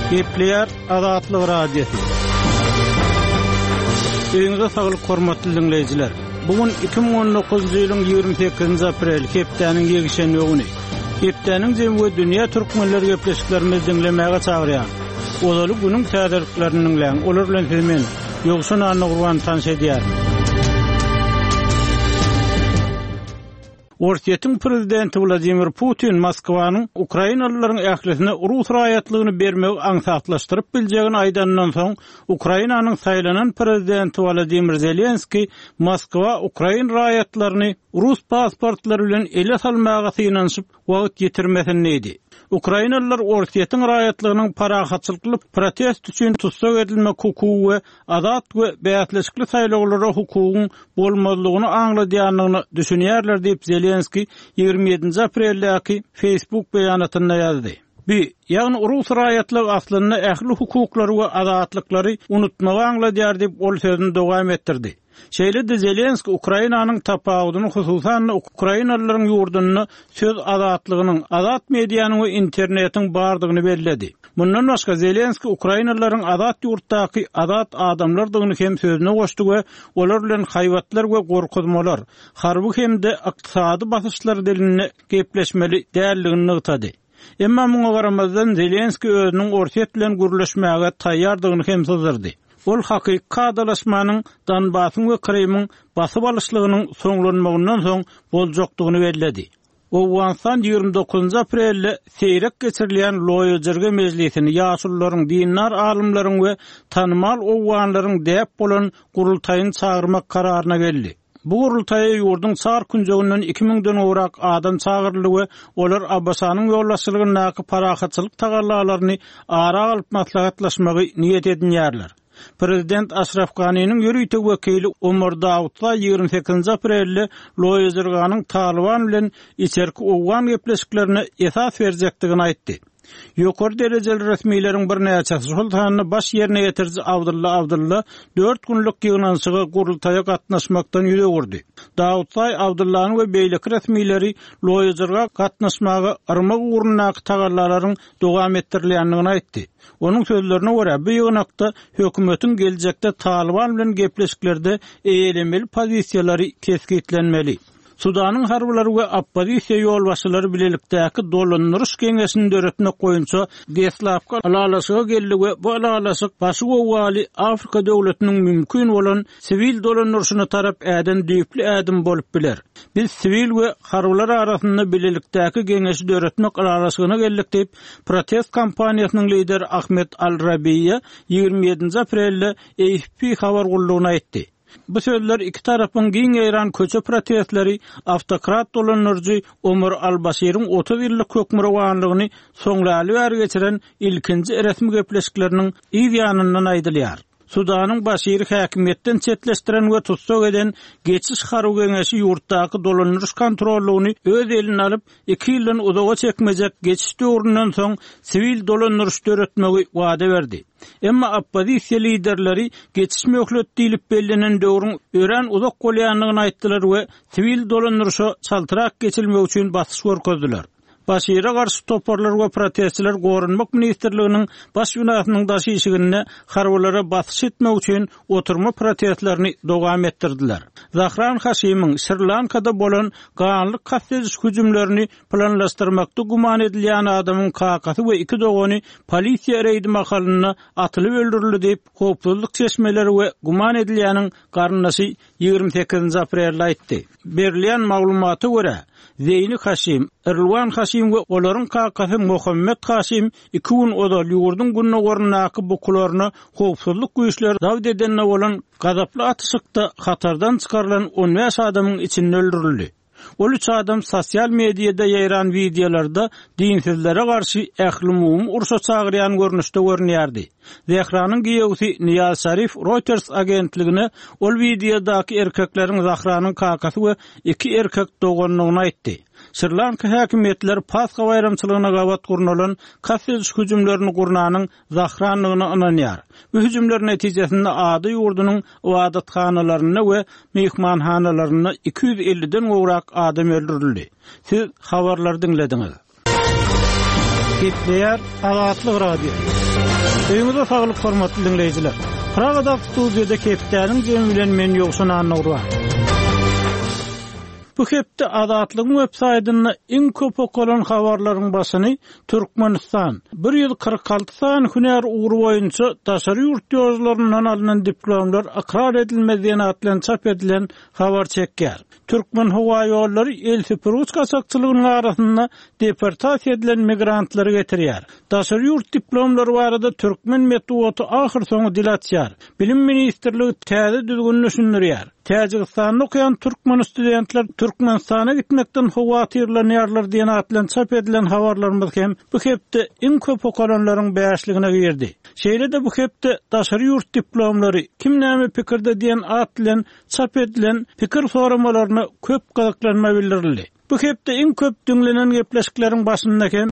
Gepleýär Azatlyk Radiosy. Öýüňize saglyk hormatly diňleýjiler. Bu gün 2019-njy ýylyň 28-nji apreli, hepdäniň ýekşenbe güni. Hepdäniň jemi we dünýä türkmenleri gepleşiklerimizi diňlemäge çagyrýar. Ozaly günüň täzeliklerini diňläň. Olar bilen sizi men, Ýowşan Annagurban tanyş edýärin. Orsýetiň prezidenti Wladimir Putin Moskwanyň ukrainalylaryň ählisine rus raýatlygyny bermegi aňsatlaşdyryp biljegini aýdanyndan soň, Ukrainanyň saýlanan prezidenti Wolodymyr Zelenskiý Moskwa ukrain raýatlaryny rus pasportlary bilen ele salmaga synanyşyp wagt ýitirmesin diýdi. Ukrainalylar Orsýetiň raýatlygynyň parahatçylykly protest üçin tussag edilmek hukugy we azat we bäsleşikli saýlawlara hukugyň bolmazlygyny aňladýandygyna düşünýärler diýip, Zelenskiý 27-nji apreldäki Facebook beýanatynda ýazdy. Bu, ýagny rus raýatlygy aslynda ähli hukuklary we azatlyklary unutmagy aňladýar diýip, ol sözüni dowam etdirdi. Şeýle-de Zelenskiý Ukrainanyň tapawudyny, hususan-da, ukrainalylaryň ýurdunda söz azatlygynyň, azat medianyň we internetiň bardygyny belledi. Mundan başga, Zelenskiý ukrainalylaryň azat ýurtdaky azat adamlardygyny hem sözüne goşdy we olar bilen haýbatlar we gorkuzmalar, harby hem-de ykdysady basyşlar dilinde gepleşmeli däldigini nygtady. Emma muňa garamazdan, Zelenskiý özüniň Orsýet bilen gürleşmäge taýýardygyny hem syzdyrdy. Ol hakyky kadalaşmanyň Donbasyň we Krymyň basyp alyşlygynyň soňlanmagyndan soň boljakdygyny belledi. Owganystan 29 aprelde seýrek geçirilýän Loýa Jirge mejlisini ýaşulularyň, dindar alymlaryň we tanymal owganlaryň däp bolan gurultaýyny çagyrmak kararyna geldi. Bu gurultaýa ýurduň çar künjeginden iki müňden gowrak adam çagyryldy we olar ABŞ-nyň ýolbaşçylygyndaky parahatçylyk tagallalaryny ara alyp maslahatlaşmagy niýet edinýärler. Prezident Aşraf Ganiniň ýörite wekili Omar Dawutzaý 28-nji aprelde Loýa Jirganyň Talyban bilen içerki owgan gepleşiklerine esas berjekdigini aýtdy. Ýokary derejeli resmileriň birnäçesi, şol sanda baş ýerine ýetiriji Abdylla Abdylla dört günlük ýygnanyşyga gurultaýa gatnaşmakdan ýüz öwürdi. Dawutzaý Abdyllany we beýleki resmileri Loýa Jirga gatnaşmaga yrmak ugrundaky tagallalaryň dowam etdirilýändigini aýtdy. Onuň sözlerine görä, bu ýygnakda hökümetiň geljekde Talyban bilen gepleşiklerde eýelemeli pozisiýalary kesgitlenmeli. Sudanyň harbylary we oppozisiýa ýolbaşçylary bilelikdäki dolandyryş geňeşini döretmek boýunça deslapky ylalaşyga geldi we bu ylalaşyk başy gowgaly Afrika döwletiniň mümkin bolan siwil dolandyryşyna tarap äden düýpli ädim bolup biler. Biz siwil we harbylar arasynda bilelikdäki geňeşi döretmek ylalaşygyna geldik diýip, protest kampaniýasynyň lideri Ahmed Al-Rabiýa 27-nji aprelde AFP habar gullugyna aýtdy. Bu sözler iki tarapyň giň ýaýran köçe protestleri awtokrat dolandyryjy Omar al-Başiriň 30 ýyllyk hökmürowanlygyny soňlaly bäri geçiren ilkinji resmi gepleşikleriniň yz ýanyndan aýdylýar. Sudanyň Başiri häkimiýetden çetleşdiren we tussag eden Geçiş harby geňeşi ýurtdaky dolandyryş kontrollygyny öz eline alyp, iki ýyldan uzaga çekmejek geçiş döwründen soň siwil dolandyryş döretmegi wada berdi. Emma oppozisiýa liderleri geçiş möhleti diýlip bellenen döwrüň örän uzak bolýandygyny aýtdylar we siwil dolandyryşa çaltrak geçilmegi üçin basyş görkezdiler. Başire garşy toparlar we protestçiler Goranmak ministrliginiň baş binasynyň daş işiginde harbylara basyş etmek üçin oturma protestlerini dowam etdirdiler. Zahran Haşimiň Şri-Lankada bolan ganly kast ediş hüjümlerini planlaşdyrmakda güman edilýän adamyň kakasy we iki dogany polisiýa reýdi mahalynda atylyp öldürildi diýip, howpsuzlyk çeşmeleri we güman edilýäniň garyndaşy 28-nji aprelde aýtdy. Berilýän maglumata görä, Zeýni Haşim, Rilwan Haşim we olaryň kakasy Mohammed Haşim iki gün ozal ýurduň gündogaryndaky bukularyna howpsuzlyk güýçleri zabt edende bolan gazaply atyşykda hatardan çykarylan 15 adamyň içinde öldürildi. Ol üç adam sosial mediada ýaýran wideolarda dinsizlere garşy ählumumy urşa çagyrýan görnüşde görünýärdi. Zehranyň giýewsi Niýaz Şarif Reuters agentligine ol wideodaky erkekleriň Zahranyň kakasy we iki erkek doganydygyny aýtdy. Şri-Lanka häkimiýetleri Pasha baýramçylygyna gabat gurnalan kast ediş hüjümlerini gurnanyň Zahrandygyna ynanýar. Bu hüjümler netijesinde ada ýurdunyň ybadathanalarynda we myhmanhanalarynda 250-den gowrak adam öldürildi. Siz habarlary diňlediňiz. Gepleýär Azatlyk Radiosy. Öýüňize saglyk hormatly diňleýjiler. Pragadaky studiýada hepdäniň jemi bilen men Ýowşan Annagurban. Bu hepde Azatlygyň web saýtynda iň köp okalan habarlaryň başyny Türkmenistan, 146 sany hünär ugry boýunça daşary ýurt ýollaryndan alnan diplomlar ykrar edilmez diýen at bilen çap edilen habar çekýär. Türkmenhowaýollary el süpürgiç gaçakçylygynyň arasynda deportasiýa edilen migrantlary getirýär. Daşary ýurt diplomlary barada türkmen metbugaty ahyrsoňy dil açýar. Bilim ministrligi täze düzgüni düşündirýär. Täjigistanda okaýan türkmen studentler Türkmenistana gitmekden howatyrlanýarlar diýen at bilen çap edilen habarlarymyz hem bu hepde iň köp okalanlaryň bäşligine girdi. Şeýle-de bu hepde Daşary ýurt diplomlary, kim näme pikirde diýen at bilen çap edilen pikir soramalaryna köp gyzyklanma bildirildi. Bu hepde iň köp diňlenen gepleşikleriň başynda hem.